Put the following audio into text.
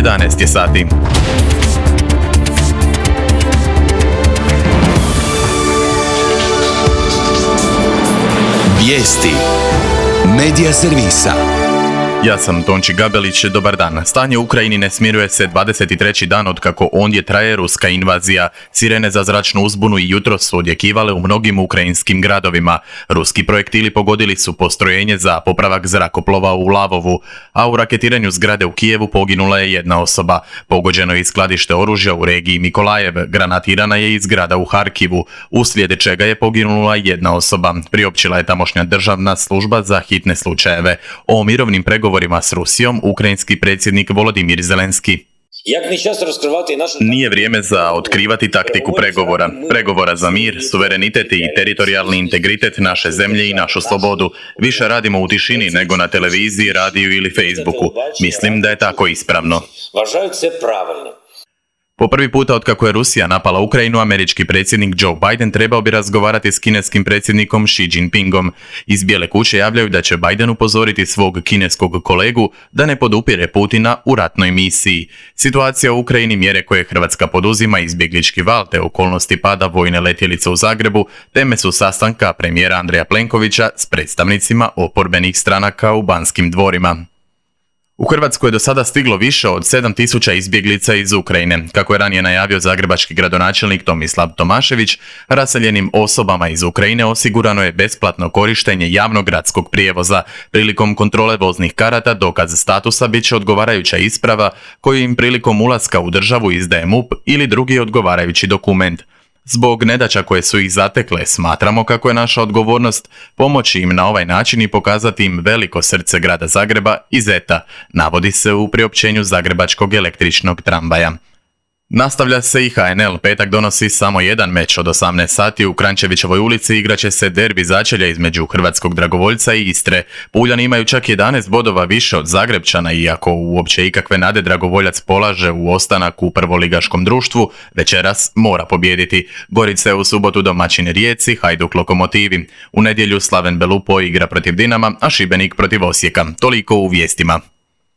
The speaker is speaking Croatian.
11 je sati. Vijesti Medija servisa. Ja sam Tonči Gabelić, dobar dan. Stanje u Ukrajini ne smiruje se 23. dan otkako ondje traje ruska invazija. Sirene za zračnu uzbunu i jutro su odjekivale u mnogim ukrajinskim gradovima. Ruski projektili pogodili su postrojenje za popravak zrakoplova u Lavovu, a u raketiranju zgrade u Kijevu poginula je jedna osoba. Pogođeno je i skladište oružja u regiji Mikolajev, granatirana je i zgrada u Harkivu, uslijed čega je poginula jedna osoba, priopćila je tamošnja državna služba za hitne slučajeve. O mirovnim pregovorima s Rusijom ukrajinski predsjednik Volodimir Zelenski. Nije vrijeme za otkrivati taktiku pregovora za mir, suverenitet i teritorijalni integritet naše zemlje i našu slobodu. Više radimo u tišini nego na televiziji, radiju ili Facebooku. Mislim da je tako ispravno. Po prvi puta otkako je Rusija napala Ukrajinu, američki predsjednik Joe Biden trebao bi razgovarati s kineskim predsjednikom Xi Jinpingom. Iz Bijele kuće javljaju da će Biden upozoriti svog kineskog kolegu da ne podupire Putina u ratnoj misiji. Situacija u Ukrajini, mjere koje Hrvatska poduzima, izbjeglički val te okolnosti pada vojne letjelice u Zagrebu, teme su sastanka premijera Andreja Plenkovića s predstavnicima oporbenih stranaka u Banskim dvorima. U Hrvatsku je do sada stiglo više od 7.000 izbjeglica iz Ukrajine. Kako je ranije najavio zagrebački gradonačelnik Tomislav Tomašević, raseljenim osobama iz Ukrajine osigurano je besplatno korištenje javnog gradskog prijevoza. Prilikom kontrole voznih karata dokaz statusa bit će odgovarajuća isprava koju im prilikom ulaska u državu izdaje MUP ili drugi odgovarajući dokument. Zbog nedaća koje su ih zatekle, smatramo kako je naša odgovornost pomoći im na ovaj način i pokazati im veliko srce grada Zagreba i Zeta, navodi se u priopćenju zagrebačkog električnog tramvaja. Nastavlja se i HNL. Petak donosi samo jedan meč. Od 18 sati u Krančevićevoj ulici igraće se derbi začelja između hrvatskog dragovoljca i Istre. Puljani imaju čak 11 bodova više od Zagrebčana, iako uopće ikakve nade dragovoljac polaže u ostanak u prvoligaškom društvu, večeras mora pobijediti. Gorica je u subotu domaćin Rijeci, Hajduk Lokomotivi. U nedjelju Slaven Belupo igra protiv Dinama, a Šibenik protiv Osijeka. Toliko u vijestima.